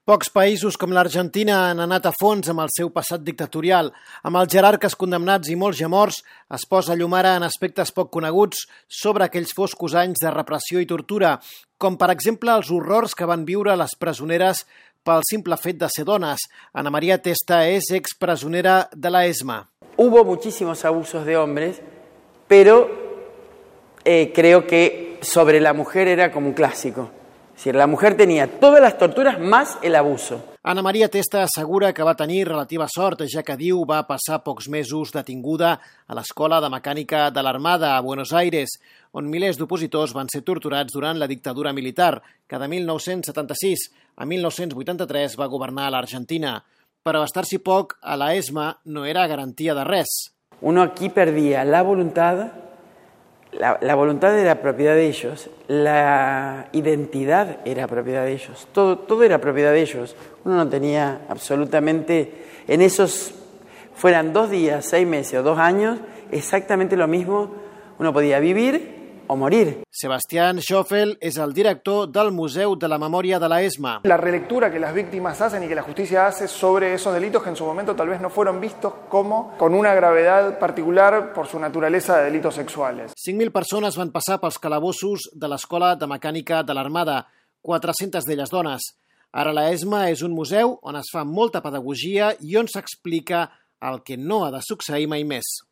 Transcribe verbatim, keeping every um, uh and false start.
Pocs països com l'Argentina han anat a fons amb el seu passat dictatorial. Amb els jerarques condemnats i molts ja morts, es posa llum ara en aspectes poc coneguts sobre aquells foscos anys de repressió i tortura, com per exemple els horrors que van viure les presoneres pel simple fet de ser dones. Ana María Testa és expresonera de la ESMA. Hubo muchísimos abusos de hombres, pero eh, creo que sobre la mujer era como un clásico. Es decir, la mujer tenía todas las torturas más el abuso. Ana María Testa assegura que va tenir relativa sort, ja que diu va passar pocs mesos detinguda a l'Escola de Mecànica de l'Armada a Buenos Aires, on milers d'opositors van ser torturats durant la dictadura militar, que de mil nou-cents setanta-sis a mil nou-cents vuitanta-tres va governar l'Argentina. Però estar-s'hi poc a la ESMA no era garantia de res. Uno aquí perdía la voluntad. La, la voluntad era propiedad de ellos, la identidad era propiedad de ellos, todo, todo era propiedad de ellos. Uno no tenía absolutamente, en esos, fueran dos días, seis meses o dos años, exactamente lo mismo, uno podía vivir o morir. Sebastián Schoffel és el director del Museu de la Memòria de la ESMA. La relectura que las víctimas hacen y que la justicia hace sobre esos delitos que en su momento tal vez no fueron vistos como con una gravedad particular por su naturaleza de delitos sexuales. cinc mil persones van passar pels calabossos de l'Escola de Mecànica de l'Armada, quatre-centes d'elles dones. Ara la ESMA és un museu on es fa molta pedagogia i on s'explica el que no ha de succeir mai més.